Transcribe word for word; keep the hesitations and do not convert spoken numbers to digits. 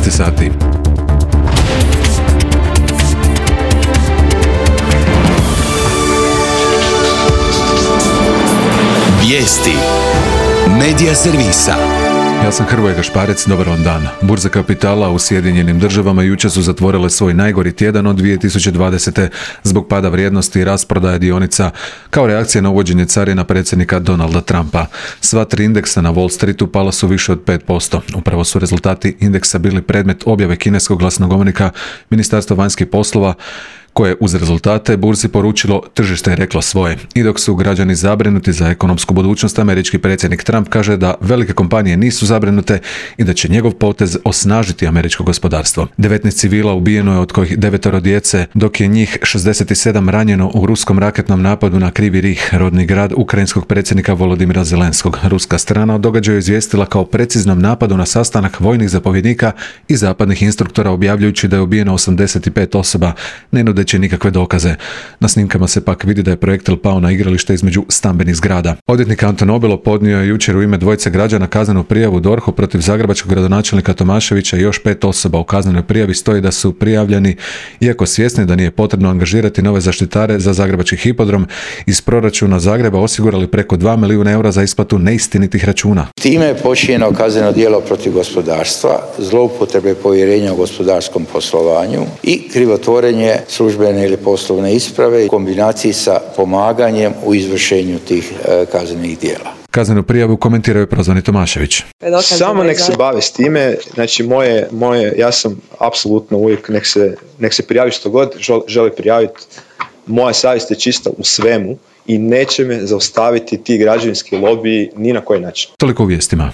šesnaest sati. Vijesti Medija servisa. Ja sam Hrvoje Gašparec, dobar vam dan. Burze kapitala u Sjedinjenim državama jučer su zatvorile svoj najgori tjedan od dvije tisuće dvadesete zbog pada vrijednosti i rasprodaje dionica kao reakcija na uvođenje carina predsjednika Donalda Trumpa. Sva tri indeksa na Wall Streetu pala su više od pet posto. Upravo su rezultati indeksa bili predmet objave kineskog glasnogovornika Ministarstva vanjskih poslova, koje uz rezultate burzi poručilo tržište je reklo svoje. I dok su građani zabrinuti za ekonomsku budućnost, američki predsjednik Trump kaže da velike kompanije nisu zabrinute i da će njegov potez osnažiti američko gospodarstvo. devetnaest civila ubijeno je, od kojih devetoro djece, dok je njih šezdeset sedam ranjeno u ruskom raketnom napadu na Krivi Rih, rodni grad ukrajinskog predsjednika Volodimira Zelenskog. Ruska strana o događaju izvijestila kao preciznom napadu na sastanak vojnih zapovjednika i zapadnih instruktora, objavljujući da je ubijeno osamdeset pet osoba, ne nudeći nikakve dokaze. Na snimkama se pak vidi da je projektil pao na igralište između stambenih zgrada. Odvjetnik Anton Obilo podnio je jučer u ime dvojice građana kaznenu prijavu D O R H-u protiv zagrebačkog gradonačelnika Tomaševića i još pet osoba. U kaznenoj prijavi stoji da su prijavljeni, iako svjesni da nije potrebno angažirati nove zaštitare za zagrebački hipodrom, iz proračuna Zagreba osigurali preko dva milijuna eura za isplatu neistinitih računa. Time je počinjeno kazneno djelo protiv gospodarstva, zloupotrebe povjerenja u gospodarskom poslovanju i krivotvorenje službene ili poslovne isprave u kombinaciji sa pomaganjem u izvršenju tih e, kaznenih djela. Kaznenu prijavu komentirao je prozvani Tomašević. Samo nek se bave s time, znači moje, moje, ja sam apsolutno uvijek nek se, nek se prijavi što god želi prijaviti. Moja savjest je čista u svemu i neće me zaustaviti ti građevinski lobiji ni na koji način. Toliko u vijestima.